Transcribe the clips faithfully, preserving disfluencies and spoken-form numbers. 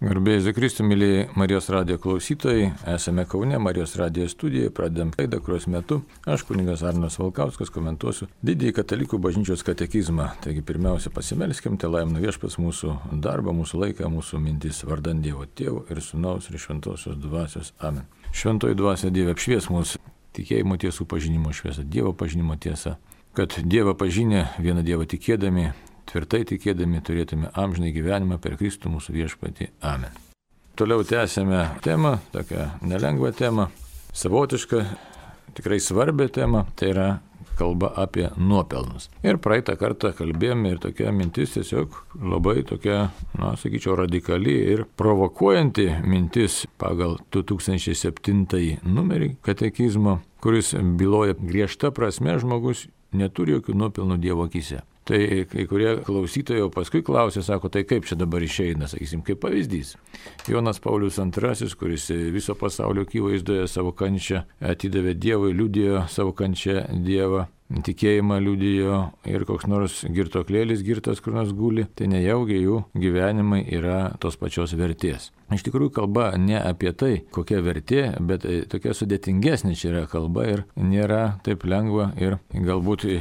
Garbėjai Zikristų, mėlyje Marijos radijo klausytojai, esame Kaune, Marijos radijo studijoje, pradedam laidą, kurios metu aš, kunigas Arnas Valkauskas, komentuosiu didįjį katalikų bažnyčios katekizmą. Taigi pirmiausia pasimelskim, te laimina Viešpats mūsų darbą, mūsų laiką, mūsų mintis, vardan Dievo Tėvo ir Sūnaus ir Šventosios Dvasios. Amen. Šventoji Dvasia Dieve apšvies mūsų tikėjimo tiesų pažinimo šviesą, Dievo pažinimo tiesą, kad Dievą pažinę, vieną Dievą tikėdami, tvirtai tikėdami turėtume amžinai gyvenimą per Kristų mūsų viešpatį. Amen. Toliau tęsėme temą, tokią nelengvą temą, savotišką, tikrai svarbią temą, tai yra kalba apie nuopelnus. Ir praeitą kartą kalbėjome ir tokia mintis tiesiog labai tokia, na, sakyčiau, radikali ir provokuojanti mintis pagal du tūkstančiai septintąjį numerį katekizmo, kuris byloja griežta prasme žmogus neturi jokių nuopelnų Dievo akyse. Tai kai kurie klausytojai jau paskui klausė, sako, tai kaip čia dabar išeina, sakysim, kaip pavyzdys. Jonas Paulius antrasis, kuris viso pasaulio akivaizdoje savo kančią atidavė Dievui, liudijo savo kančią Dievą, tikėjimą liudijo ir koks nors girtoklėlis girtas kur nors guli, tai nejaugi jų gyvenimai yra tos pačios vertės. Iš tikrųjų kalba ne apie tai, kokia vertė, bet tokia sudėtingesnė čia yra kalba ir nėra taip lengva ir galbūt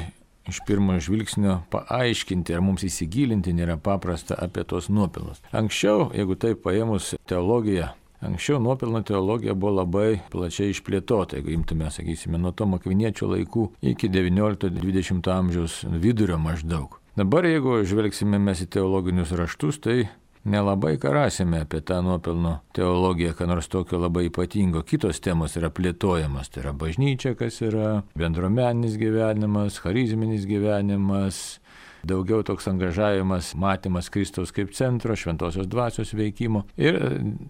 iš pirmo žvilgsnio paaiškinti ar mums įsigilinti nėra paprasta apie tos nuopelnus. Anksčiau, jeigu taip paėmus teologiją, anksčiau nuopelno teologija buvo labai plačiai išplėtota, jeigu imtume, sakysime, nuo Tomo Akviniečio laikų iki devyniolikto dvidešimto amžiaus vidurio maždaug. Dabar, jeigu žvelgsime mes į teologinius raštus, tai nelabai ką rasime apie tą nuopelno teologiją, ką nors tokio labai ypatingo. Kitos temos yra plėtojamas, tai yra bažnyčia, kas yra bendruomeninis gyvenimas, charizminis gyvenimas, daugiau toks angažavimas, matymas Kristaus kaip centro, šventosios dvasios veikimo ir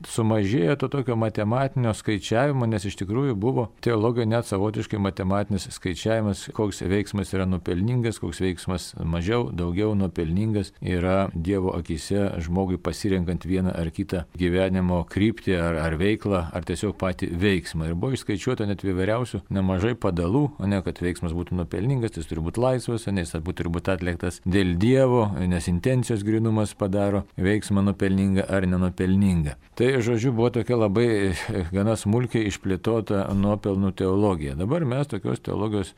sumažėjo to tokio matematinio skaičiavimo, nes iš tikrųjų buvo teologija net savotiškai matematinis skaičiavimas, koks veiksmas yra nuopelningas, koks veiksmas mažiau, daugiau nuopelningas yra Dievo akyse žmogui pasirenkant vieną ar kitą gyvenimo kryptį ar, ar veiklą, ar tiesiog patį veiksmą. Ir buvo išskaičiuota net įvairiausių nemažai padalų, o ne kad veiksmas būtų nuopelningas, jis turi būti laisvas, nes turi būti atliktas dėl Dievo, nes intencijos grynumas padaro veiksmą nupelningą ar nenupelningą. Tai, žodžiu, buvo tokia labai gana smulkiai išplėtota nuopelnų teologija. Dabar mes tokios teologijos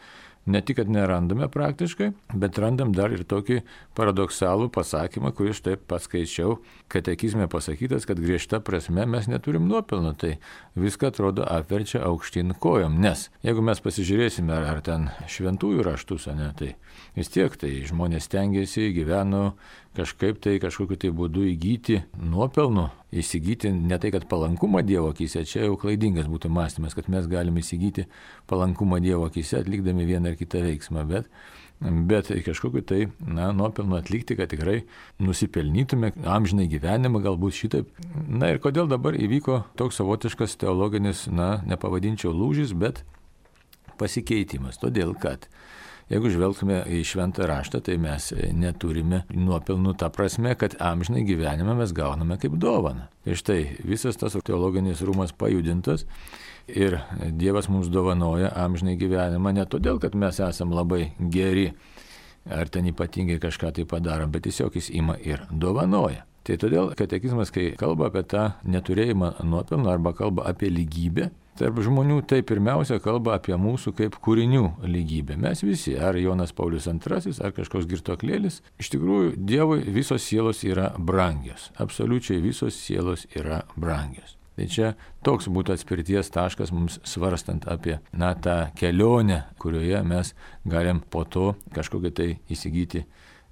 ne tik, kad nerandame praktiškai, bet randam dar ir tokį paradoksalų pasakymą, kurį štai paskaičiau, katekizme pasakytas, kad griežta prasme mes neturim nuopelnų, tai viską atrodo apverčia aukštyn kojom, nes jeigu mes pasižiūrėsime, ar, ar ten šventųjų raštus, ne, tai vis tiek tai žmonės stengiasi, gyveno kažkaip tai kažkokiu tai būdu įgyti nuopelnų, įsigyti ne tai, kad palankumą Dievo akyse, čia jau klaidingas būtų mąstymas, kad mes galime įsigyti palankumą Dievo akyse atlikdami vieną ar kitą veiksmą, bet, bet kažkokiu tai, na, nuopelnų atlikti, kad tikrai nusipelnytume amžinai gyvenimą, galbūt šitaip. Na ir kodėl dabar įvyko toks savotiškas teologinis, na, nepavadinčiau lūžis, bet pasikeitimas, todėl kad jeigu žvelgtume į šventą raštą, tai mes neturime nuopelnų tą prasme, kad amžinai gyvenimą mes gauname kaip dovaną. Ir štai visas tas teologinis rūmas pajudintas ir Dievas mums dovanoja amžinai gyvenimą ne todėl, kad mes esam labai geri ar ten ypatingai kažką tai padarom, bet tiesiog jis ima ir dovanoja. Tai todėl katekizmas, kai kalba apie tą neturėjimą nuopelnų arba kalba apie lygybę tarp žmonių, tai pirmiausia kalba apie mūsų kaip kūrinių lygybę. Mes visi, ar Jonas Paulius antrasis, ar kažkoks girtoklėlis, iš tikrųjų Dievui visos sielos yra brangios. Absoliučiai visos sielos yra brangios. Tai čia toks būtų atspirties taškas mums svarstant apie, na, tą kelionę, kurioje mes galim po to kažkokią tai įsigyti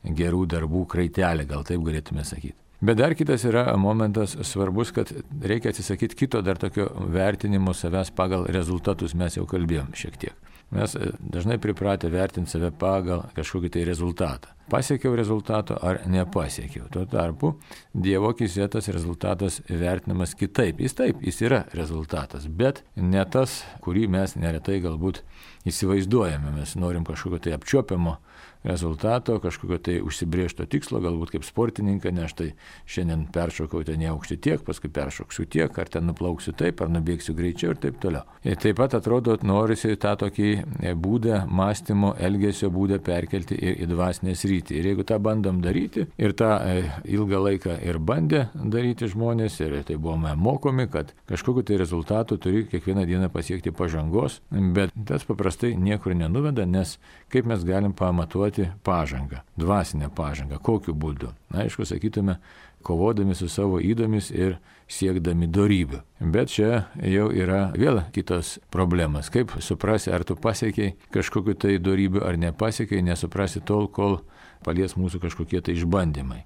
gerų darbų kraitelę, gal taip galėtume sakyti. Bet dar kitas yra momentas svarbus, kad reikia atsisakyti kito dar tokio vertinimo savęs pagal rezultatus, mes jau kalbėjom šiek tiek. Mes dažnai pripratę vertinti save pagal kažkokį tai rezultatą. Pasiekiau rezultato ar nepasiekiau. Tuo tarpu Dievo akyse tas rezultatas vertinamas kitaip. Jis taip, jis yra rezultatas, bet ne tas, kurį mes neretai galbūt įsivaizduojame. Mes norim kažkokio tai apčiuopiamo rezultato, kažkokio tai užsibrėžto tikslo, galbūt kaip sportininką, ne aš tai šiandien peršokau ten į aukštį tiek, paskui peršoksiu tiek, ar ten nuplauksiu taip, ar nubėgsiu greičiau ir taip toliau. Ir taip pat atrodo, norisi tą tokį būdą, mąstymo, elgesio būdą perkelti ir į dvasinę sritį. Ir jeigu tą bandom daryti, ir tą ilgą laiką ir bandė daryti žmonės, ir tai buvome mokomi, kad kažkokiu tai rezultatu turi kiekvieną dieną pasiekti pažangos, bet tas paprastai niekur nenuveda, nes kaip mes galim pamatuoti pažangą, dvasinę pažangą, kokiu būdu. Na, aišku, sakytume, kovodami su savo įdomis ir siekdami dorybių. Bet čia jau yra vėl kitos problemas. Kaip suprasi, ar tu pasiekiai kažkokiu tai dorybių, ar nepasiekiai, nesuprasi tol, kol palies mūsų kažkokie tai išbandymai.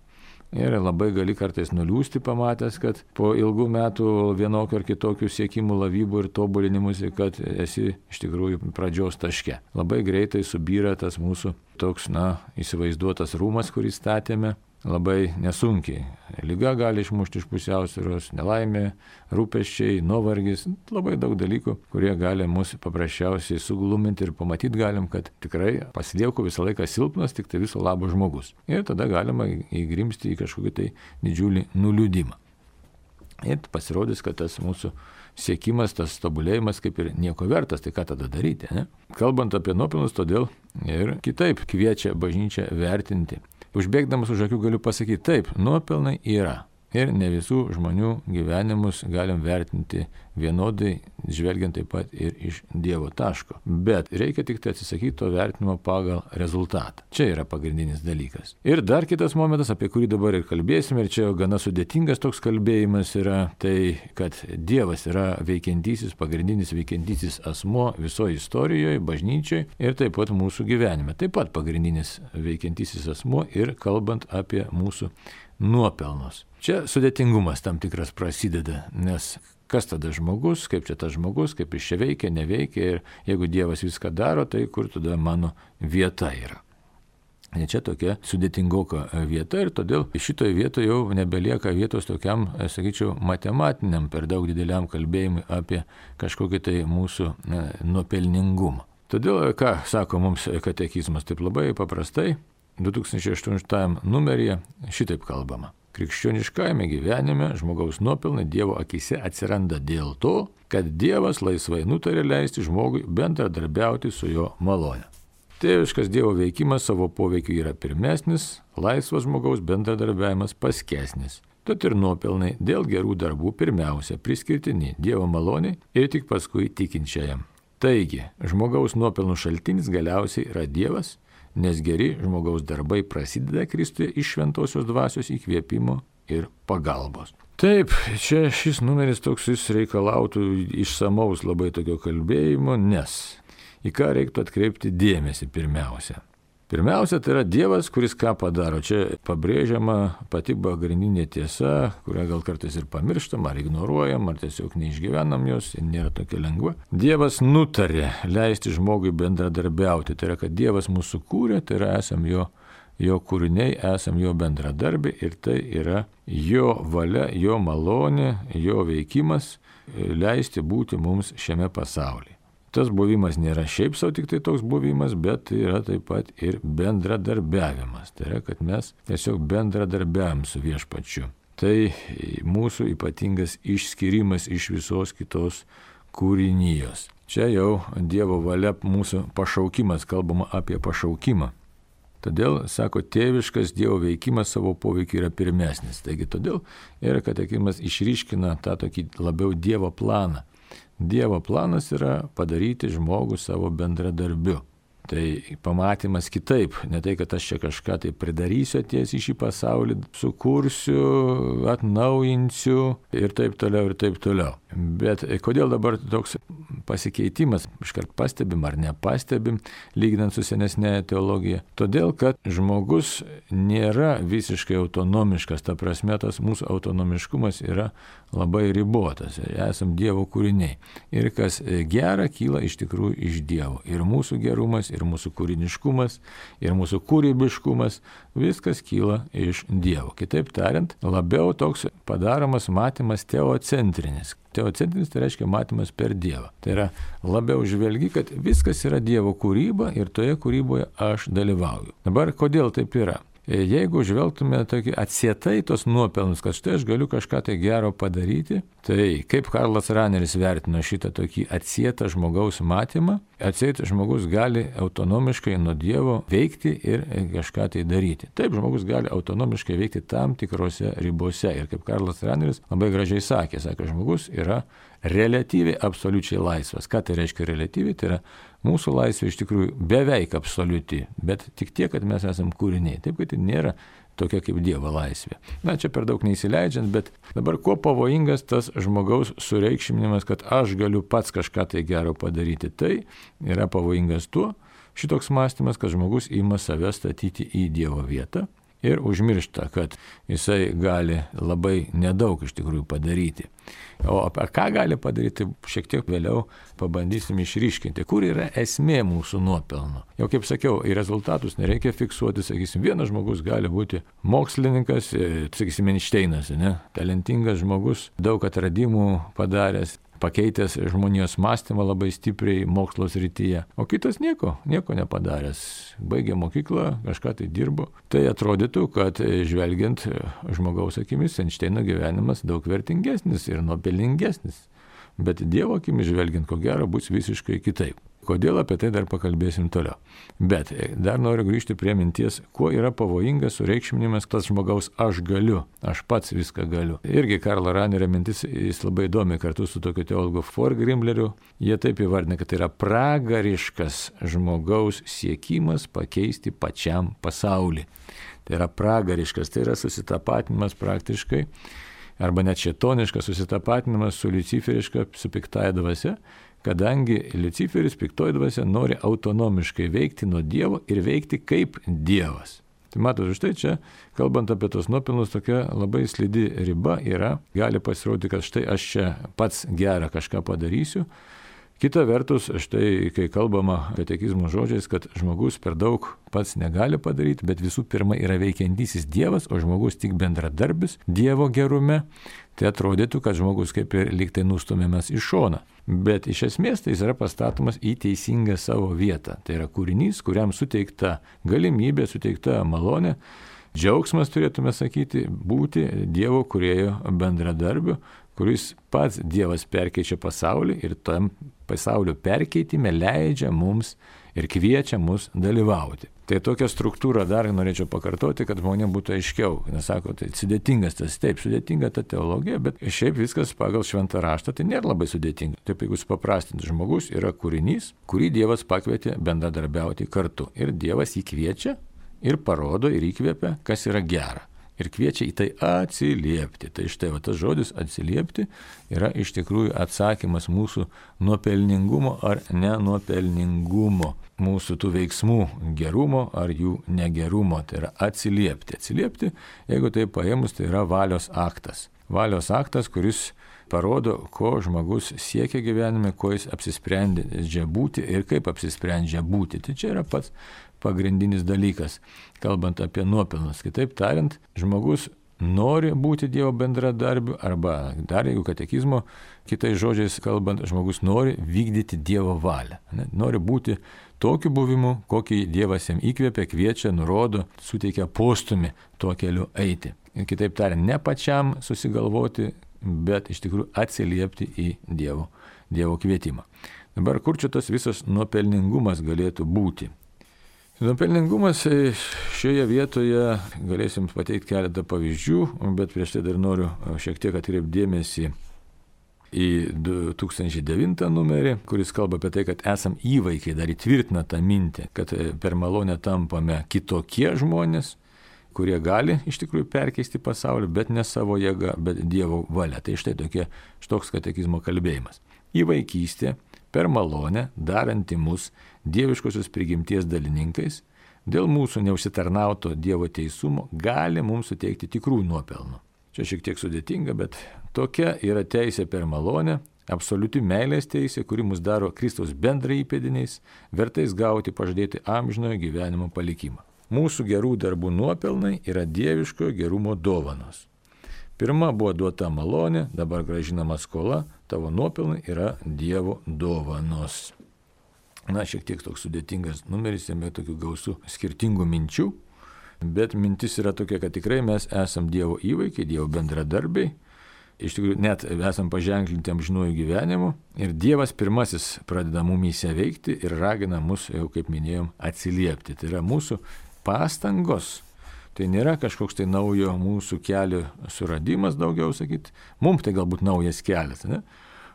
Ir labai gali kartais nuliūsti pamatęs, kad po ilgų metų vienokio ar kitokių siekimų, lavybų ir tobulinimusi, kad esi iš tikrųjų pradžios taške. Labai greitai subyra tas mūsų toks, na, įsivaizduotas rūmas, kurį statėme, labai nesunkiai. Liga gali išmušti iš pusiausvyros, nelaimė, rūpesčiai, nuovargis, labai daug dalykų, kurie gali mus paprasčiausiai sugluminti ir pamatyti galim, kad tikrai pasilieku visą laiką silpnas, tik tai viso labo žmogus. Ir tada galima įgrimsti į kažkokį tai didžiulį nuliūdimą. Ir pasirodys, kad tas mūsų siekimas, tas tobulėjimas kaip ir nieko vertas, tai ką tada daryti, ne? Kalbant apie nuopelnus, todėl ir kitaip kviečia bažnyčią vertinti. Užbėgdamas už akių galiu pasakyti, taip, nuopelnai yra. Ir ne visų žmonių gyvenimus galim vertinti vienodai, žvelgiant taip pat ir iš Dievo taško. Bet reikia tik tai atsisakyti to vertinimo pagal rezultatą. Čia yra pagrindinis dalykas. Ir dar kitas momentas, apie kurį dabar ir kalbėsime, ir čia jau gana sudėtingas toks kalbėjimas yra, tai kad Dievas yra veikiantysis, pagrindinis veikiantysis asmuo visoje istorijoje, bažnyčiai ir taip pat mūsų gyvenime. Taip pat pagrindinis veikiantysis asmuo ir kalbant apie mūsų nuopelnus. Čia sudėtingumas tam tikras prasideda, nes kas tada žmogus, kaip čia tas žmogus, kaip jis čia veikia, neveikia ir jeigu Dievas viską daro, tai kur tada mano vieta yra. Ir čia tokia sudėtingoka vieta ir todėl šitoje vietoje jau nebelieka vietos tokiam, sakyčiau, matematiniam per daug dideliam kalbėjimui apie kažkokį tai mūsų nuopelningumą. Todėl, ką sako mums katekizmas, taip labai paprastai, du tūkstančiai aštuntajame numeryje šitaip kalbama. Krikščioniškajame gyvenime žmogaus nuopelnai Dievo akise atsiranda dėl to, kad Dievas laisvai nutarė leisti žmogui bendradarbiauti su jo malone. Tėviškas Dievo veikimas savo poveikiu yra pirmesnis, laisvas žmogaus bendradarbiavimas paskesnis. Tad ir nuopelnai dėl gerų darbų pirmiausia priskirtini Dievo maloniai ir tik paskui tikinčiajam. Taigi, žmogaus nuopelnų šaltinis galiausiai yra Dievas, nes geri žmogaus darbai prasideda Kristuje iš šventosios dvasios įkvėpimo ir pagalbos. Taip, čia šis numeris toks jis reikalautų išsamaus labai tokio kalbėjimo, nes į ką reiktų atkreipti dėmesį pirmiausia. Pirmiausia, tai yra Dievas, kuris ką padaro. Čia pabrėžiama pati pagrindinė tiesa, kurią gal kartais ir pamirštam, ar ignoruojam, ar tiesiog neišgyvenam jos, nėra tokia lengva. Dievas nutarė leisti žmogui bendradarbiauti. Tai yra, kad Dievas mūsų kūrė, tai yra esam jo, jo kūriniai, esam jo bendradarbiai ir tai yra jo valia, jo malonė, jo veikimas leisti būti mums šiame pasaulyje. Tas buvimas nėra šiaip savo tik tai toks buvimas, bet yra taip pat ir bendradarbiavimas. Tai yra, kad mes tiesiog bendradarbiavim su Viešpačiu. Tai mūsų ypatingas išskirimas iš visos kitos kūrinijos. Čia jau Dievo valia mūsų pašaukimas, kalbama apie pašaukimą. Todėl, sako, tėviškas Dievo veikimas savo poveikiu yra pirmesnis. Taigi todėl ir katekizmas išryškina tą tokį labiau Dievo planą. Dievo planas yra padaryti žmogų savo bendradarbiu. Tai pamatymas kitaip, ne tai, kad aš čia kažką tai pridarysiu atėjęs į šį pasaulį, sukursiu, atnaujinsiu ir taip toliau ir taip toliau. Bet kodėl dabar toks pasikeitimas, iškart pastebim ar nepastebim, lyginant su senesnė teologija? Todėl, kad žmogus nėra visiškai autonomiškas, ta prasme, tas mūsų autonomiškumas yra labai ribotas, esam Dievo kūriniai. Ir kas gera, kyla iš tikrųjų iš Dievo. Ir mūsų gerumas, ir mūsų kūriniškumas, ir mūsų kūrybiškumas, viskas kyla iš Dievo. Kitaip tariant, labiau toks padaromas matymas teocentrinis. teocentrinis tai reiškia matymas per Dievą. Tai yra labiau žvelgi, kad viskas yra Dievo kūryba ir toje kūryboje aš dalyvauju. Dabar kodėl taip yra? Jeigu žvelgtume tokį atsietai tos nuopelnus, kad štai aš galiu kažką tai gero padaryti, tai kaip Karlas Raneris vertino šitą tokį atsietą žmogaus matymą, atsietas žmogus gali autonomiškai nuo Dievo veikti ir kažką tai daryti. Taip, žmogus gali autonomiškai veikti tam tikrose ribose. Ir kaip Karlas Raneris labai gražiai sakė, sako, žmogus yra reliatyviai absoliučiai laisvas. Ką tai reiškia reliatyviai? Tai yra mūsų laisvė iš tikrųjų beveik absoliuti, bet tik tiek, kad mes esam kūriniai. Taip, kad tai nėra tokia kaip Dievo laisvė. Na, čia per daug neįsileidžiant, bet dabar kuo pavojingas tas žmogaus sureikšminimas, kad aš galiu pats kažką tai gero padaryti. Tai yra pavojingas tuo, šitoks mąstymas, kad žmogus ima save statyti į Dievo vietą ir užmiršta, kad jisai gali labai nedaug iš tikrųjų padaryti. O apie ką gali padaryti, šiek tiek vėliau pabandysim išryškinti, kur yra esmė mūsų nuopelno. Jau kaip sakiau, į rezultatus nereikia fiksuoti, sakysim, vienas žmogus gali būti mokslininkas, sakysim, Einšteinas, ne? Talentingas žmogus, daug atradimų padaręs, pakeitęs žmonijos mąstymą labai stipriai mokslo srityje, o kitas nieko, nieko nepadaręs. Baigė mokyklą, kažką tai dirbo. Tai atrodytų, kad žvelgiant žmogaus akimis, Einšteino gyvenimas daug vertingesnis ir nuopelningesnis. Bet Dievo akimis žvelgiant, ko gero, bus visiškai kitaip. Kodėl, apie tai dar pakalbėsim toliau. Bet dar noriu grįžti prie minties, kuo yra pavojingas sureikšminimas tas žmogaus aš galiu, aš pats viską galiu. Irgi Karlo Ranerio mintis, jis labai įdomi kartu su tokiu teologu Forgrimleriu. Jie taip įvardina, kad tai yra pragariškas žmogaus siekimas pakeisti pačiam pasaulį. Tai yra pragariškas, tai yra susitapatinimas praktiškai, arba net šėtoniškas susitapatinimas su luciferiška, su piktaja dvasia, kadangi Liuciferis, piktoji dvasia, nori autonomiškai veikti nuo Dievo ir veikti kaip Dievas. Tai matot, štai čia, kalbant apie tos nuopelnus, tokia labai slidi riba yra, gali pasirodyti, kad štai aš čia pats gerą kažką padarysiu. Kita vertus, štai kai kalbama katekizmo žodžiais, kad žmogus per daug pats negali padaryti, bet visų pirma yra veikiantysis Dievas, o žmogus tik bendradarbis Dievo gerume, tai atrodytų, kad žmogus kaip ir lyg tai nustumiamas į šoną. Bet iš esmės tai jis yra pastatomas į teisingą savo vietą. Tai yra kūrinys, kuriam suteikta galimybė, suteikta malonė, džiaugsmas turėtume sakyti, būti Dievo kūrėjo bendradarbiu, kuris pats Dievas perkeičia pasaulį ir tam pasaulio perkeitime leidžia mums ir kviečia mus dalyvauti. Tai tokią struktūrą dar norėčiau pakartoti, kad žmonėms būtų aiškiau. Nes sako, tai sudėtingas tas, taip, sudėtinga ta teologija, bet šiaip viskas pagal šventą raštą tai nėra labai sudėtinga. Taip, jeigu supaprastinti, žmogus yra kūrinys, kurį Dievas pakvietė bendradarbiauti kartu. Ir Dievas jį kviečia ir parodo ir įkvėpia, kas yra gera. Ir kviečia į tai atsiliepti. Tai štai va, tas žodis atsiliepti yra iš tikrųjų atsakymas mūsų nuopelningumo ar nenuopelningumo, mūsų tų veiksmų gerumo ar jų negerumo. Tai yra atsiliepti. Atsiliepti, jeigu tai paėmus, tai yra valios aktas. Valios aktas, kuris parodo, ko žmogus siekia gyvenime, ko jis apsisprendžia būti ir kaip apsisprendžia būti. Tai čia yra pats pagrindinis dalykas, kalbant apie nuopelnus. Kitaip tariant, žmogus nori būti Dievo bendradarbiu, arba dar jeigu katekizmo, kitais žodžiais kalbant, žmogus nori vykdyti Dievo valią. Ne? Nori būti tokiu buvimu, kokį Dievas jam įkvėpia, kviečia, nurodo, suteikia postumį tuo keliu eiti. Ir kitaip tariant, ne pačiam susigalvoti, bet iš tikrųjų atsiliepti į Dievo, Dievo kvietimą. Dabar kur čia tas visas nuopelningumas galėtų būti? Nuopelningumas šioje vietoje galėsim pateikti keletą pavyzdžių, bet prieš tai dar noriu šiek tiek atkreipti dėmesį į du tūkstančiai devintą numerį, kuris kalba apie tai, kad esam įvaikiai, dar įtvirtina tą mintį, kad per malonę tampame kitokie žmonės, kurie gali iš tikrųjų perkeisti pasaulį, bet ne savo jėga, bet Dievo valia. Tai štai tokie, štoks katekizmo kalbėjimas. Įvaikystė per malonę daranti mus dieviškosios prigimties dalininkais, dėl mūsų neužsitarnauto Dievo teisumo gali mums suteikti tikrų nuopelnų. Čia šiek tiek sudėtinga, bet tokia yra teisė per malonę, absoliuti meilės teisė, kuri mus daro Kristaus bendrai įpėdiniais, vertais gauti pažadėti amžinojo gyvenimo palikimą. Mūsų gerų darbų nuopelnai yra dieviškojo gerumo dovanos. Pirma buvo duota malonė, dabar gražinama skola, tavo nuopelnai yra Dievo dovanos. Na, šiek tiek toks sudėtingas numeris, jame tokių gausų skirtingų minčių, bet mintis yra tokia, kad tikrai mes esam Dievo įvaikiai, Dievo bendradarbiai, iš tikrųjų net esam paženklinti amžinuoju gyvenimu ir Dievas pirmasis pradeda mumyse veikti ir ragina mus, jau kaip minėjom, atsiliepti. Tai yra mūsų pastangos. Tai nėra kažkoks tai naujo mūsų kelio suradimas, daugiau sakyti. Mums tai galbūt naujas kelias, ne?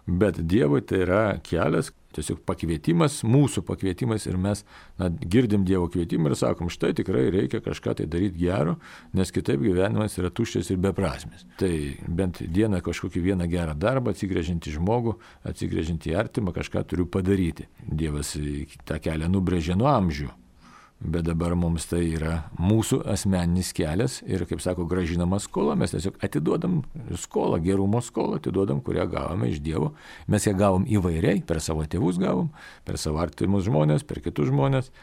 Bet Dievui tai yra kelias, tiesiog pakvietimas, mūsų pakvietimas ir mes na, girdim Dievo kvietimą ir sakom, štai tikrai reikia kažką tai daryti gero, nes kitaip gyvenimas yra tuščias ir beprasmis. Tai bent dieną kažkokį vieną gerą darbą, atsigręžinti žmogų, atsigręžinti artimą, kažką turiu padaryti. Dievas tą kelią nubrėžė nuo amžių. Bet dabar mums tai yra mūsų asmeninis kelias ir, kaip sako, gražinama skola, mes tiesiog atiduodam skolą, gerumo skolą, atiduodam, kurią gavome iš Dievo. Mes ją gavom įvairiai, per savo tėvus gavom, per savo artimus žmonės, per kitus žmonės.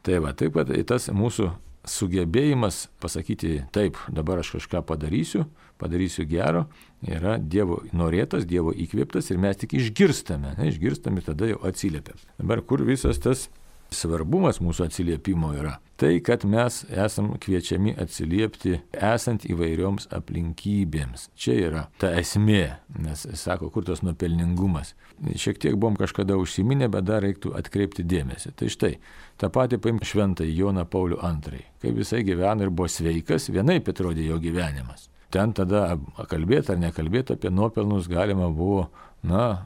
Tai va, taip pat tas mūsų sugebėjimas pasakyti, taip, dabar aš kažką padarysiu, padarysiu gero, yra Dievo norėtas, Dievo įkvėptas ir mes tik išgirstame, ne, išgirstame, tada jau atsiliepiam. Dabar kur visas tas svarbumas mūsų atsiliepimo yra? Tai, kad mes esam kviečiami atsiliepti esant įvairioms aplinkybėms. Čia yra ta esmė, nes sako, kur tas nuopelningumas. Šiek tiek buvom kažkada užsiminę, bet dar reiktų atkreipti dėmesį. Tai štai, tą patį paimk šventąjį Joną Paulių antrąjį. Kaip jisai gyveno ir buvo sveikas, vienaip atrodė jo gyvenimas. Ten tada kalbėti ar nekalbėti apie nuopelnus galima buvo, na,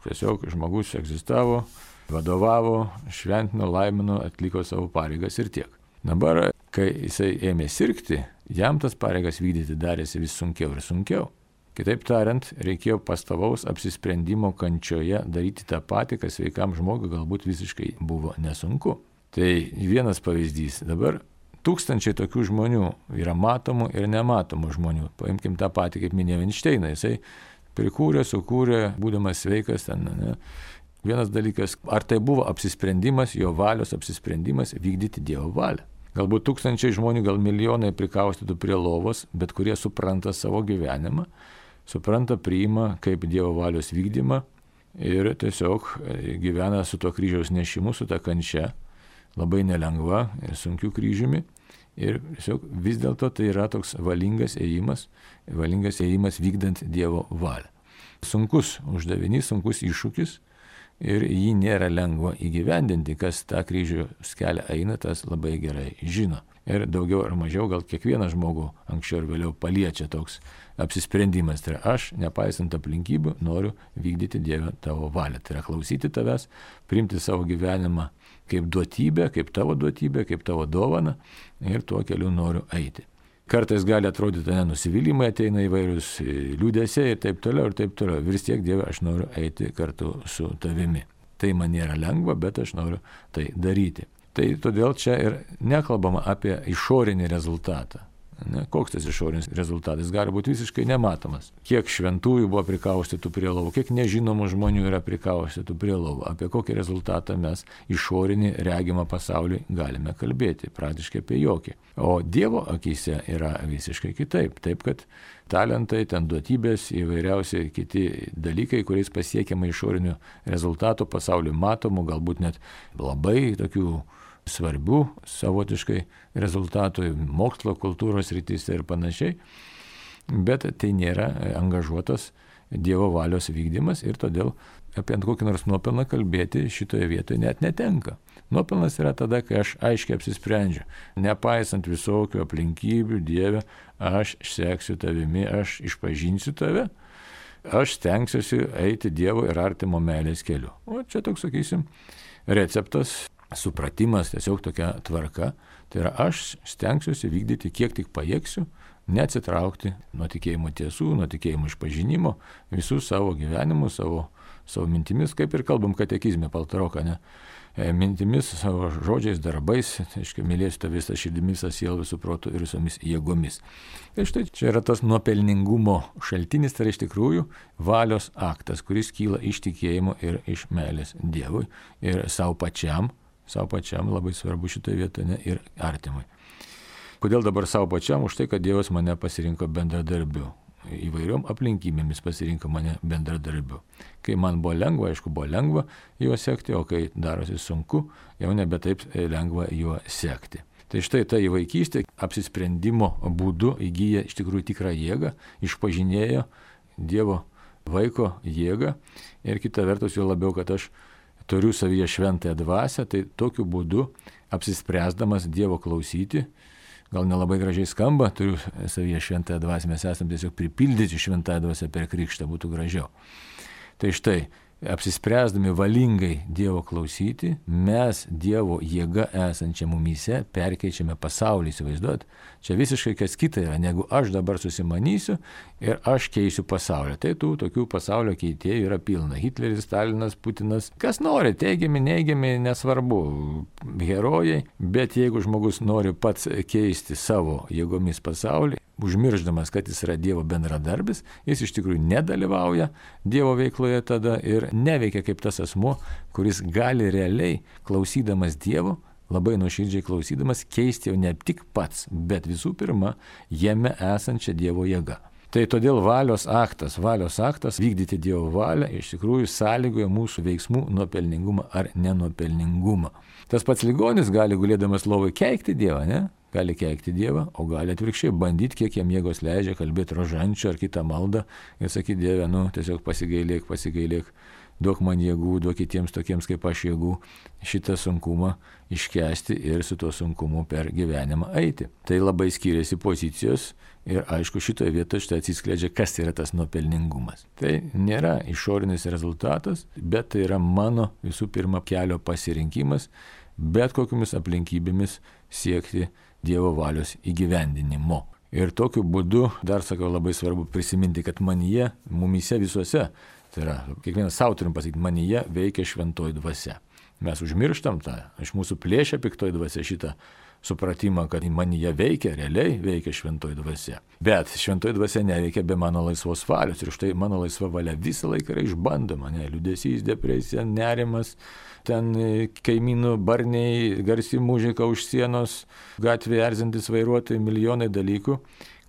tiesiog žmogus egzistavo, vadovavo, šventino, laimino, atliko savo pareigas ir tiek. Dabar, kai jisai ėmė sirgti, jam tas pareigas vykdyti darėsi vis sunkiau ir sunkiau. Kitaip tariant, reikėjo pastovaus apsisprendimo kančioje daryti tą patį, kas sveikam žmogui galbūt visiškai buvo nesunku. Tai vienas pavyzdys. Dabar tūkstančiai tokių žmonių yra matomų ir nematomų žmonių. Paimkim tą patį, kaip minėjau, Einšteiną. Jisai prikūrė, sukūrė, būdamas sveikas ten, ne? Vienas dalykas, ar tai buvo apsisprendimas, jo valios apsisprendimas vykdyti Dievo valią. Galbūt tūkstančiai žmonių, gal milijonai prikaustytų prie lovos, bet kurie supranta savo gyvenimą, supranta, priima kaip Dievo valios vykdymą ir tiesiog gyvena su to kryžiaus nešimu, su ta kančia, labai nelengva ir sunkiu kryžiumi. Ir tiesiog vis dėlto tai yra toks valingas ėjimas, valingas ėjimas vykdant Dievo valią. Sunkus uždavinys, sunkus iššūkis. Ir jį nėra lengva įgyvendinti, kas tą kryžiaus kelią eina, tas labai gerai žino. Ir daugiau ar mažiau gal kiekvieną žmogų anksčiau ir vėliau paliečia toks apsisprendimas. Tai yra aš, nepaisant aplinkybių, noriu vykdyti Dieve tavo valią. Tai yra klausyti tavęs, priimti savo gyvenimą kaip duotybę, kaip tavo duotybę, kaip tavo dovaną ir tuo keliu noriu eiti. Kartais gali atrodyti, ne, nusivylimai ateina įvairius liūdesiai ir taip toliau ir taip toliau. Vis tiek, Dieve, aš noriu eiti kartu su tavimi. Tai man nėra lengva, bet aš noriu tai daryti. Tai todėl čia ir nekalbama apie išorinį rezultatą. Ne, koks tas išorinis rezultatas gali būti visiškai nematomas. Kiek šventųjų buvo prikaustytų prie lovų, kiek nežinomų žmonių yra prikaustytų prie lovų. Apie kokį rezultatą mes išorinį regimą pasaulį galime kalbėti, praktiškai apie jokį. O Dievo akyse yra visiškai kitaip. Taip, kad talentai, ten duotybės, įvairiausiai kiti dalykai, kuriais pasiekiama išorinių rezultatų, pasaulį matomų, galbūt net labai tokių svarbių savotiškai rezultatų mokslo, kultūros rytise ir panašiai, bet tai nėra angažuotas Dievo valios vykdymas ir todėl apie kokį nors nuopelną kalbėti šitoje vietoje net netenka. Nuopelnas yra tada, kai aš aiškiai apsisprendžiu, nepaisant visokių aplinkybių, Dieve, aš seksiu tavimi, aš išpažinsiu tave, aš stengsiuosi eiti Dievo ir artimo meilės keliu. O čia toks, sakysim, receptas, supratimas, tiesiog tokia tvarka. Tai yra aš stengsiuosi vykdyti kiek tik pajėgsiu, neatsitraukti nuo tikėjimo tiesų, nuo tikėjimo išpažinimo, visų savo gyvenimų, savo, savo mintimis, kaip ir kalbam katekizme Paltaroką, ne? Mintimis, savo žodžiais, darbais, tai aiškiai, mylėsiu tą visą širdimi, visą sielą, visų protų ir visomis jėgomis. Tai štai čia yra tas nuopelningumo šaltinis, tai iš tikrųjų valios aktas, kuris kyla iš tikėjimo ir iš meilės Dievui ir savo pačiam, savo pačiam labai svarbu šitoje vietoje, ne, ir artimui. Kodėl dabar savo pačiam? Už tai, kad Dievas mane pasirinko bendradarbiu. Įvairiom aplinkybėmis pasirinko mane bendradarbiu. Kai man buvo lengva, aišku, buvo lengva juo sekti, o kai darosi sunku, jau nebe taip lengva juo sekti. Tai štai ta įvaikystė apsisprendimo būdu įgyja iš tikrųjų tikrą jėgą, išpažinėjo Dievo vaiko jėgą ir kita vertus jo labiau, kad aš turiu savyje šventąją dvasią, tai tokiu būdu apsispręsdamas Dievo klausyti, gal nelabai gražiai skamba, turiu savyje šventąją dvasią, mes esame tiesiog pripildyti šventąją dvasią per krikštą, būtų gražiau. Tai štai, apsispręsdami valingai Dievo klausyti, mes Dievo jėga esančią mumyse perkeičiame pasaulį, įsivaizduot. Čia visiškai kas kita yra, negu aš dabar susimanysiu ir aš keisiu pasaulį. Tai tų tokių pasaulio keitėjų yra pilna. Hitleris, Stalinas, Putinas, kas nori, teigiami, neigiami, nesvarbu, herojai, bet jeigu žmogus nori pats keisti savo jėgomis pasaulį, užmirždamas, kad jis yra Dievo bendradarbis, jis iš tikrųjų nedalyvauja Dievo veikloje tada ir neveikia kaip tas asmuo, kuris gali realiai, klausydamas Dievo, labai nuoširdžiai klausydamas, keisti jau ne tik pats, bet visų pirma, jame esančią Dievo jėgą. Tai todėl valios aktas, valios aktas vykdyti Dievo valią iš tikrųjų sąlygoja mūsų veiksmų nuopelningumą ar nenuopelningumą. Tas pats ligonis gali gulėdamas lovai keikti Dievą, ne? Gali keikti Dievą, o gali atvirkščiai bandyti, kiek jam jėgos leidžia, kalbėti rožančių ar kitą maldą ir sakyti Dieve, nu, tiesiog pasigailėk, pasigailėk, duok man jėgų, duok kitiems tokiems kaip aš jėgų šitą sunkumą iškęsti ir su tuo sunkumu per gyvenimą eiti. Tai labai skiriasi pozicijos ir aišku šitoje vietoje štai atsiskleidžia, kas yra tas nuopelningumas. Tai nėra išorinis rezultatas, bet tai yra mano visų pirma kelio pasirinkimas, bet kokiamis aplinkybėmis siekti Dievo valios įgyvendinimo. Ir tokiu būdu, dar sakau, labai svarbu prisiminti, kad manyje, mumyse visuose, tai yra, kiekvienas savo turim pasakyti, manyje veikia šventoji dvasia. Mes užmirštam tą, iš mūsų plėšia piktoji dvasia šitą supratimą, kad manyje veikia, realiai veikia šventoji dvasia. Bet šventoji dvasia neveikia be mano laisvos valios ir štai mano laisva valia visą laiką yra išbandoma, ne, liūdesys, depresija, nerimas, ten kaimynų barniai, garsi muzika už sienos, gatvėje erzintis vairuotojai, milijonai dalykų,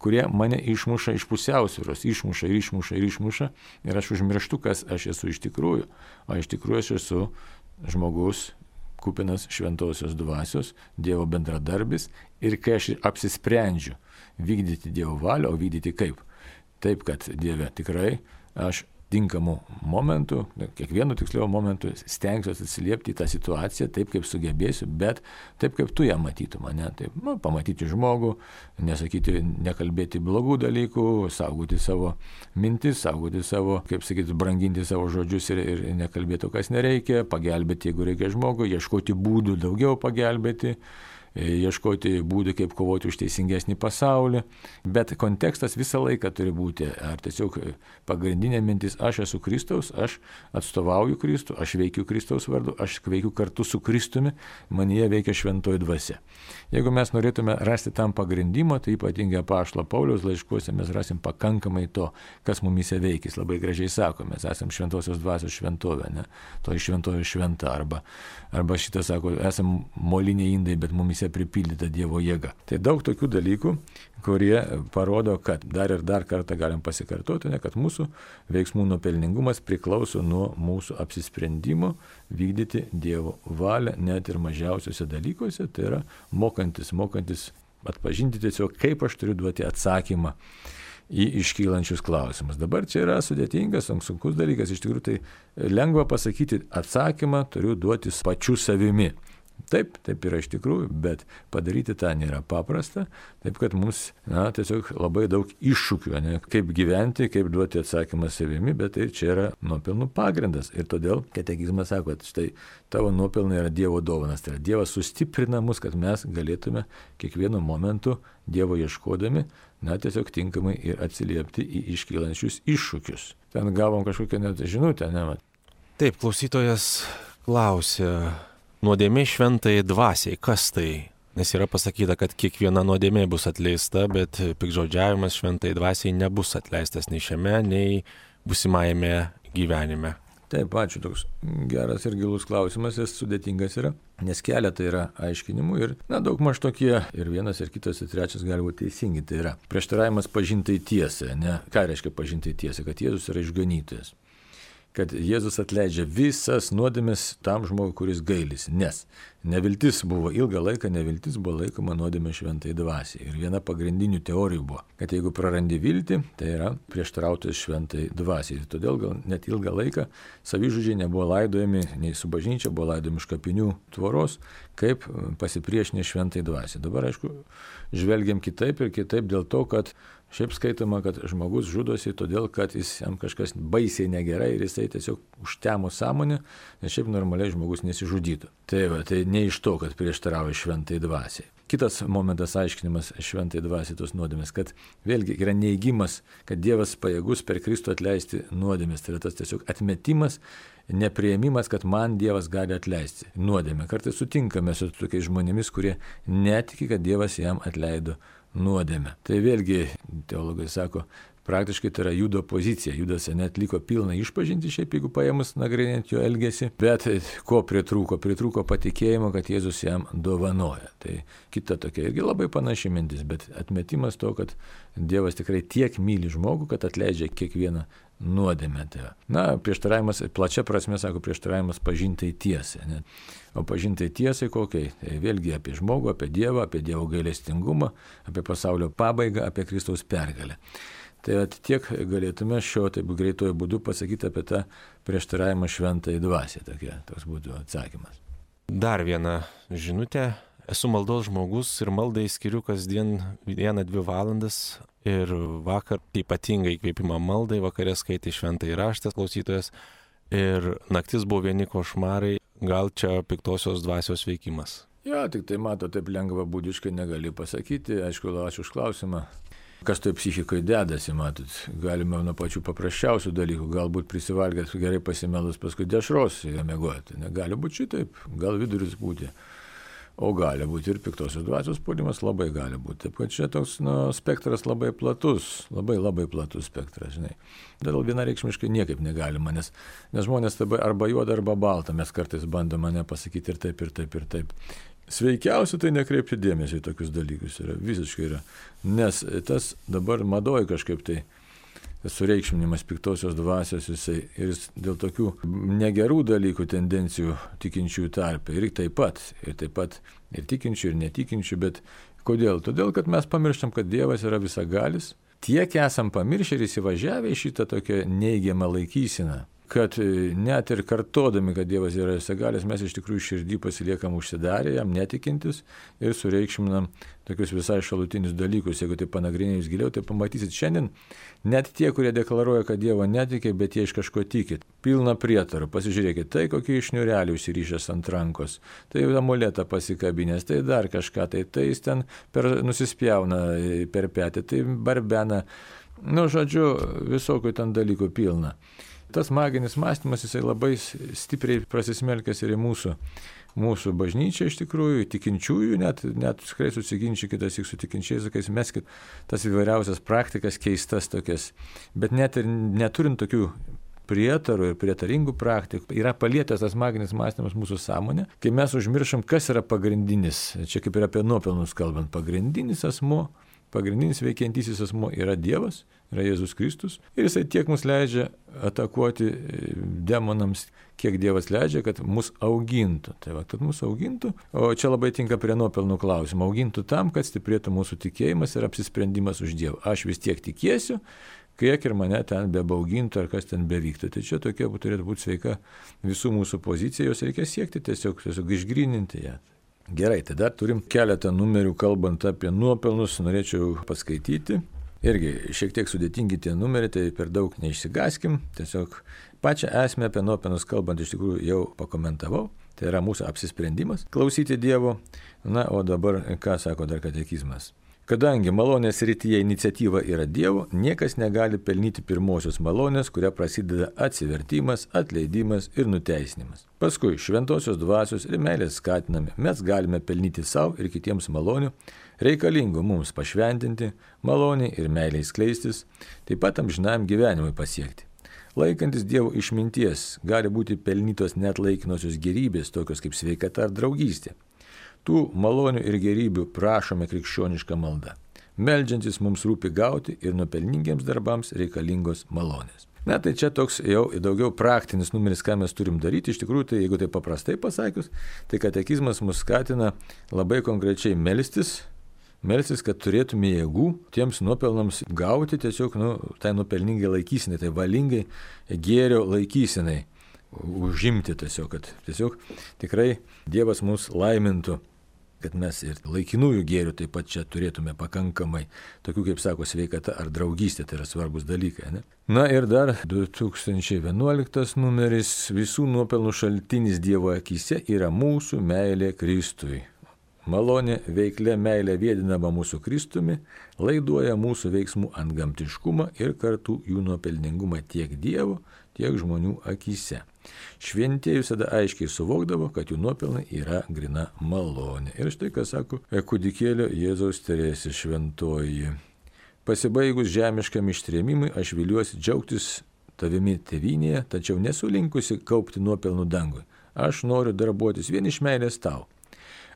kurie mane išmuša iš pusiausvyros, išmuša ir išmuša ir išmuša ir aš užmirštu, kas aš esu iš tikrųjų. O iš tikrųjų aš esu žmogus, kupinas šventosios dvasios, Dievo bendradarbis ir kai aš apsisprendžiu vykdyti Dievo valią, o vykdyti kaip? Taip, kad Dieve tikrai aš tinkamų momentų, kiekvienu tiksliau momentu stengsiuosi atsiliepti į tą situaciją taip, kaip sugebėsiu, bet taip, kaip tu ją matytum, ne? Taip, nu, pamatyti žmogų, nesakyti, nekalbėti blogų dalykų, saugoti savo mintis, saugoti savo, kaip sakyti, branginti savo žodžius ir, ir nekalbėti, kas nereikia, pagelbėti, jeigu reikia žmogui, ieškoti būdų daugiau pagelbėti, ieškoti būdų, kaip kovoti už teisingesnį pasaulį, bet kontekstas visą laiką turi būti, ar tiesiog pagrindinė mintis, aš esu Kristaus, aš atstovauju Kristų, aš veikiu Kristaus vardu, aš veikiu kartu su Kristumi, manyje veikia šventoji dvasia. Jeigu mes norėtume rasti tam pagrindimo, tai ypatingai apaštalo Pauliaus laiškuose mes rasim pakankamai to, kas mumyse veikis, labai gražiai sako, mes esam šventosios dvasios šventovė, ne? To iš šventovė šventa, arba, arba šitą sako, esam moliniai indai, bet mumyse pripildyta Dievo jėga. Tai daug tokių dalykų, kurie parodo, kad dar ir dar kartą galim pasikartoti, ne, kad mūsų veiksmų nuopelningumas priklauso nuo mūsų apsisprendimo vykdyti Dievo valią net ir mažiausiuose dalykuose, tai yra mokantis, mokantis atpažinti tiesiog, kaip aš turiu duoti atsakymą į iškylančius klausimus. Dabar čia yra sudėtingas, sunkus dalykas, iš tikrųjų tai lengva pasakyti, atsakymą turiu duoti pačiu savimi. Taip, taip yra iš tikrųjų, bet padaryti tą nėra paprasta, taip kad mums na, tiesiog labai daug iššūkių, ne, kaip gyventi, kaip duoti atsakymą savimi, bet tai čia yra nuopelnų pagrindas. Ir todėl katekizmas sako, kad štai tavo nuopelnai yra Dievo dovanas, tai yra Dievas sustiprina mus, kad mes galėtume kiekvienu momentu Dievo ieškodami, na tiesiog tinkamai ir atsiliepti į iškylančius iššūkius. Ten gavom kažkokią net žinutę, ne? Taip, klausytojas klausė. Nuodėmė šventai dvasiai, kas tai? Nes yra pasakyta, kad kiekviena nuodėmė bus atleista, bet piktžodžiavimas šventai dvasiai nebus atleistas nei šiame, nei būsimajame gyvenime. Taip, ačiū, toks geras ir gilus klausimas, jis sudėtingas yra, nes keletą yra aiškinimų ir, na, daug maž tokie, ir vienas, ir kitas, ir trečias gali būti teisingi, tai yra prieštaravimas pažintai tiesai, ne? Ką reiškia pažintai tiesai? Kad Jėzus yra išganytojas. Kad Jėzus atleidžia visas nuodėmes tam žmogui, kuris gailisi. Nes neviltis buvo, ilgą laiką neviltis buvo laikoma nuodėmė šventai dvasiai. Ir viena pagrindinių teorijų buvo, kad jeigu prarandi viltį, tai yra prieštarautojas šventai dvasiai. Ir todėl gal net ilgą laiką savižudžiai nebuvo laidojami, nei su bažnyčia buvo laidojami iš kapinių tvoros, kaip pasipriešinę šventai dvasiai. Dabar, aišku, žvelgiam kitaip ir kitaip dėl to, kad šiaip skaitoma, kad žmogus žudosi todėl, kad jis jam kažkas baisiai negerai ir jisai tiesiog užtemo sąmonę, nes šiaip normaliai žmogus nesižudytų. Tai, va, tai ne iš to, kad prieštarauja šventai dvasiai. Kitas momentas aiškinimas šventai dvasiai tos nuodėmės, kad vėlgi yra neigimas, kad Dievas pajėgus per Kristų atleisti nuodėmės. Tai yra tas tiesiog atmetimas, nepriėmimas, kad man Dievas gali atleisti nuodėmę. Kartais sutinkame su tokiais žmonėmis, kurie netiki, kad Dievas jam atleido nuodėmę. Tai vėlgi, teologai sako, praktiškai tai yra Judo pozicija. Judas net liko pilną išpažinti, šiaip jeigu paėmus nagrinėti jo elgesį, bet ko pritrūko? Pritrūko patikėjimo, kad Jėzus jam dovanoja. Tai kita tokia irgi labai panaši mintis, bet atmetimas to, kad Dievas tikrai tiek myli žmogų, kad atleidžia kiekvieną nuodėmę. Na, prieštaravimas, plačia prasme, sako, prieštaravimas pažintai tiesai. Ne? O pažintai tiesai kokiai? Tai vėlgi apie žmogų, apie Dievą, apie Dievo gailestingumą, apie pasaulio pabaigą, apie Kristaus pergalę. Tai tiek galėtume šio taip greitojo būdu pasakyti apie tą prieštaravimą šventai dvasiai. Tokia, toks būtų atsakymas. Dar viena žinutė. Esu maldos žmogus ir maldai skiriu kasdien vieną, dvi valandas ir vakar ypatingai įkvėpimą maldai, vakarė skaitė šventai raštą klausytojas ir naktis buvo vieni košmarai, gal čia piktosios dvasios veikimas. Jo, tik tai mato, taip lengva būdiškai negali pasakyti, aišku, ačiū už klausimą. Kas toj psichikoje dedasi, matot, galime nuo pačių paprasčiausių dalykų, galbūt prisivalgęs gerai pasimelus, paskui dešros mėgoti. Negali būti šitaip, gal viduris būti. O gali būti ir piktosios dvasios puolimas, labai gali būti. Taip, kad čia toks nu, spektras labai platus, labai labai platus spektras, žinai. Dėl vienareikšmiškai niekaip negalima, nes, nes žmonės arba juoda, arba balta, mes kartais bandome mane pasakyti ir taip, ir taip, ir taip. Sveikiausia tai nekreipti dėmesį į tokius dalykus, yra, visiškai yra, nes tas dabar madoj kažkaip tai sureikšminimas piktosios dvasios jisai ir jis dėl tokių negerų dalykų tendencijų tikinčiųjų tarpe ir taip pat, ir taip pat ir tikinčių, ir netikinčių, bet kodėl? Todėl, kad mes pamirštam, kad Dievas yra visagalis, tiek esam pamiršę ir įsivažiavę į šitą tokią neigiamą laikyseną, kad net ir kartodami, kad Dievas yra visagalis, mes iš tikrųjų širdį pasiliekam užsidarę, jam netikintis ir sureikšminam tokius visai šalutinius dalykus. Jeigu tai panagrinėjus giliau, tai pamatysit šiandien net tie, kurie deklaruoja, kad Dievo netikė, bet jie iš kažko tikit. Pilna prietarų. Pasižiūrėkit, tai kokį iš niurelių užsirišęs ant rankos, tai amuletą pasikabinės, tai dar kažką, tai, tai jis ten per, nusispjauna per petį, tai barbena. Nu, žodžiu, visokių ten dalykų pilna. Tas maginis mąstymas, jisai labai stipriai prasismelkęs ir į mūsų, mūsų bažnyčią iš tikrųjų, tikinčiųjų, net, net tikrai susiginčykite su tikinčiais, sakais, meskit tas įvairiausias praktikas, keistas tokias, bet net ir neturint tokių prietarų ir prietaringų praktikų, yra palietęs tas maginis mąstymas mūsų sąmonę, kai mes užmiršam, kas yra pagrindinis, čia kaip ir apie nuopelnus kalbant, pagrindinis asmuo, pagrindinis veikiantysis asmuo yra Dievas, yra Jėzus Kristus ir jisai tiek mus leidžia atakuoti demonams, kiek Dievas leidžia, kad mus augintų. Tai va, kad mus augintų, o čia labai tinka prie nuopelnų klausimų, augintų tam, kad stiprėtų mūsų tikėjimas ir apsisprendimas už Dievą. Aš vis tiek tikėsiu, kiek ir mane ten bebaugintų ar kas ten bevyktų. Tai čia tokia turėtų būti sveika visų mūsų pozicija, jos reikia siekti tiesiog, tiesiog išgryninti ją. Gerai, tai dar turim keletą numerių kalbant apie nuopelnus, norėčiau paskaityti. Irgi šiek tiek sudėtingi tie numeriai, tai per daug neišsigaskim, tiesiog pačią esmę apie nuopelnus kalbant iš tikrųjų jau pakomentavau, tai yra mūsų apsisprendimas klausyti Dievo, na, o dabar ką sako dar katekizmas. Kadangi malonės srityje iniciatyva yra Dievo, niekas negali pelnyti pirmosios malonės, kuria prasideda atsivertimas, atleidimas ir nuteisinimas. Paskui šventosios dvasios ir meilės skatinami mes galime pelnyti savo ir kitiems malonių, reikalingų mums pašventinti, maloniai ir meiliai skleistis, taip pat amžinam gyvenimui pasiekti. Laikantis Dievo išminties gali būti pelnytos net laikinosios gerybės, tokios kaip sveikata ar draugystė. Tų malonių ir gerybių prašome krikščionišką maldą. Meldžiantis mums rūpi gauti ir nuopelningiems darbams reikalingos malonės. Na, tai čia toks jau daugiau praktinis numeris, ką mes turim daryti. Iš tikrųjų, tai jeigu tai paprastai pasakius, tai katekizmas mus skatina labai konkrečiai melstis, melstis, kad turėtume jėgų tiems nuopelnams gauti tiesiog, nu, tai nuopelningai laikysinai, tai valingai gėrio laikysinai užimti tiesiog, kad tiesiog tikrai Dievas mus laimintų, kad mes ir laikinųjų gėrių taip pat čia turėtume pakankamai, tokių kaip sako sveikata ar draugystė, tai yra svarbus dalykai. Ne? Na ir dar du tūkstančiai vienuoliktas numeris, visų nuopelnų šaltinis Dievo akise yra mūsų meilė Kristui. Malonė veiklė meilė vėdinama mūsų Kristumi, laiduoja mūsų veiksmų antgamtiškumą ir kartu jų nuopelningumą tiek Dievo, tiek žmonių akise. Šventieji visada aiškiai suvokdavo, kad jų nuopelnai yra grina malonė. Ir štai ką sako kūdikėlio Jėzaus Teresė šventoji. Pasibaigus žemiškam ištrėmimui, aš viliuosi džiaugtis tavimi tėvynėje, tačiau nesu linkusi kaupti nuopelnų dangui. Aš noriu darbuotis vien iš meilės tau.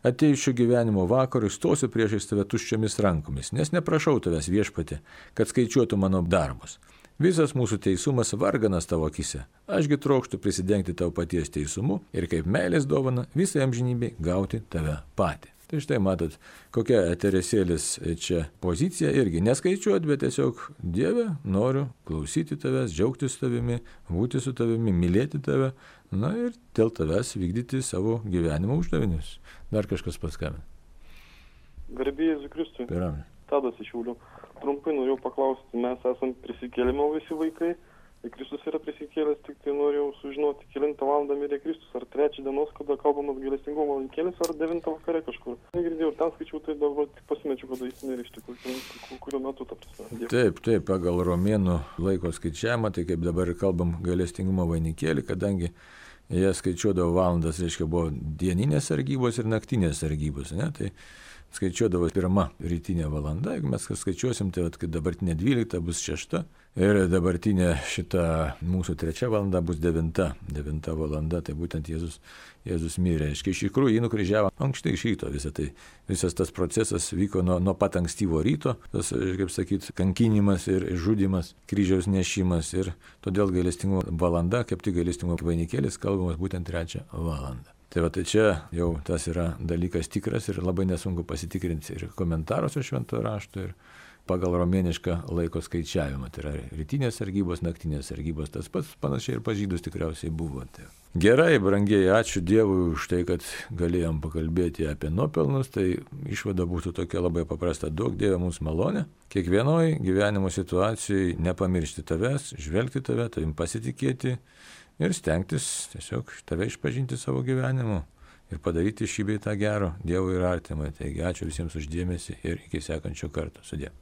Atėjus šio gyvenimo vakarui stosiu priešais tave tuščiomis rankomis, nes neprašau tavęs viešpatį, kad skaičiuotų mano darbus. Visas mūsų teisumas varganas tavo akise. Ašgi trokštu prisidengti tavo paties teisumu ir kaip meilės dovana visai amžinybei gauti tave patį. Tai štai matot, kokia Teresėlės čia pozicija irgi neskaičiuot, bet tiesiog Dieve, noriu klausyti tavęs, džiaugtis tavimi, būti su tavimi, mylėti tave, na ir dėl tavęs vykdyti savo gyvenimo uždavinius. Dar kažkas paskambina. Garbė Jėzui Kristui. Piram. Tadas iš Šiaulių. Trumpai norėjau paklausti, mes esam prisikėlimo visi vaikai, ir Kristus yra prisikėlęs, tik tai norėjau sužinoti, kelintą valandą mirė Kristus, ar trečią dienos, kada kalbam apie gailestingumo valinkėlis, ar devintą vakare kažkur. Negirdėjau, ir ten skaičiau, tai dabar tik pasimečiau, kada jis mirė iš tikrųjų, kuriuo metu ta prasme. Taip, taip, pagal romėnų laiko skaičiavimą, tai kaip dabar kalbam gailestingumo vainikėlį, kadangi jie skaičiuodavo valandas, reiškia, buvo dieninės sargybos ir naktinės sargybos, ne, tai skaičiuodavo pirma rytinė valanda, jeigu mes skaičiuosim, tai kad dabartinė dvylikta bus šešta ir dabartinė šita mūsų trečia valanda bus devinta, devinta valanda, tai būtent Jėzus, Jėzus mirė. Iš tikrųjų jį nukryžiavo ankštai iš ryto, visą tai, visas tas procesas vyko nuo, nuo pat ankstyvo ryto, tas, kaip sakyt, kankinimas ir žudimas, kryžiaus nešimas ir todėl gailestingumo valanda, kaip tik gailestingumo vainikėlis kalbamas būtent trečią valandą. Tai va, tai čia jau tas yra dalykas tikras ir labai nesunku pasitikrinti ir komentaruose šventojo rašto ir pagal romėnišką laiko skaičiavimą. Tai yra rytinės sargybos, naktinės sargybos, tas pats panašiai ir pas žydus tikriausiai buvo. Tai. Gerai, brangieji, ačiū Dievui už tai, kad galėjom pakalbėti apie nuopelnus, tai išvada būtų tokia labai paprasta, duok Dieve mums malonę, kiekvienoj gyvenimo situacijai nepamiršti tavęs, žvelgti tave, tavim pasitikėti, ir stengtis tiesiog tave išpažinti savo gyvenimu ir padaryti šį bei tą gero Dievui ir artimai. Taigi ačiū visiems už dėmesį ir iki sekančio karto. Sudie.